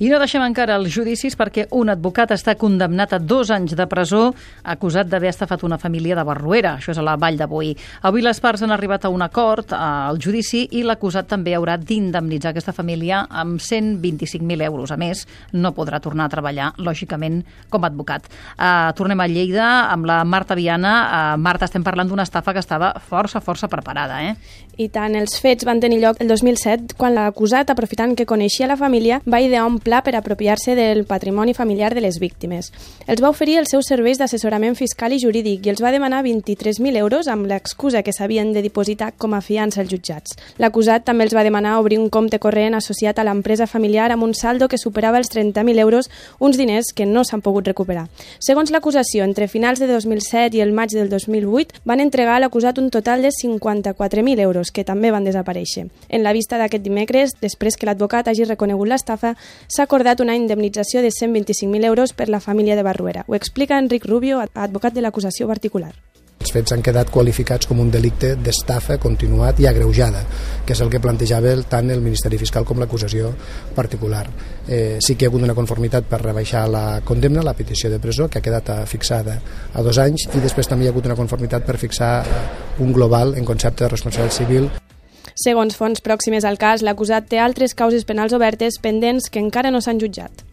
I no deixem encara els judicis perquè un advocat està condemnat a 2 anys de presó acusat d'haver estafat una família de Barruera. Això és a la Vall de Boí. Avui les parts han arribat a un acord al judici i l'acusat també haurà d'indemnitzar aquesta família amb 125.000 euros. A més, no podrà tornar a treballar, lògicament, com a advocat. Tornem a Lleida amb la Marta Viana. Marta, estem parlant d'una estafa que estava força preparada, eh? I tant, els fets van tenir lloc el 2007, quan l'acusat, aprofitant que coneixia la família, va idear un pla per apropiar-se del patrimoni familiar de les víctimes. Els va oferir els seus serveis d'assessorament fiscal i jurídic i els va demanar 23.000 euros amb l'excusa que s'havien de dipositar com a fiança als jutjats. L'acusat també els va demanar obrir un compte corrent associat a l'empresa familiar amb un saldo que superava els 30.000 euros, uns diners que no s'han pogut recuperar. Segons l'acusació, entre finals de 2007 i el maig del 2008 van entregar a l'acusat un total de 54.000 euros, que també van desaparèixer. En la vista d'aquest dimecres, després que l'advocat hagi reconegut l'estafa, s'ha acordat una indemnització de 125.000 euros per la família de Barruera. Ho explica Enric Rubio, advocat de l'acusació particular. Els fets han quedat qualificats com un delicte d'estafa continuat i agreujada, que és el que plantejava tant el Ministeri Fiscal com l'acusació particular. Sí que hi ha hagut una conformitat per rebaixar la condemna, la petició de presó, que ha quedat fixada a 2 anys, i després també hi ha hagut una conformitat per fixar un global en concepte de responsabilitat civil. Segons fonts pròximes al cas, l'acusat té altres causes penals obertes pendents que encara no s'han jutjat.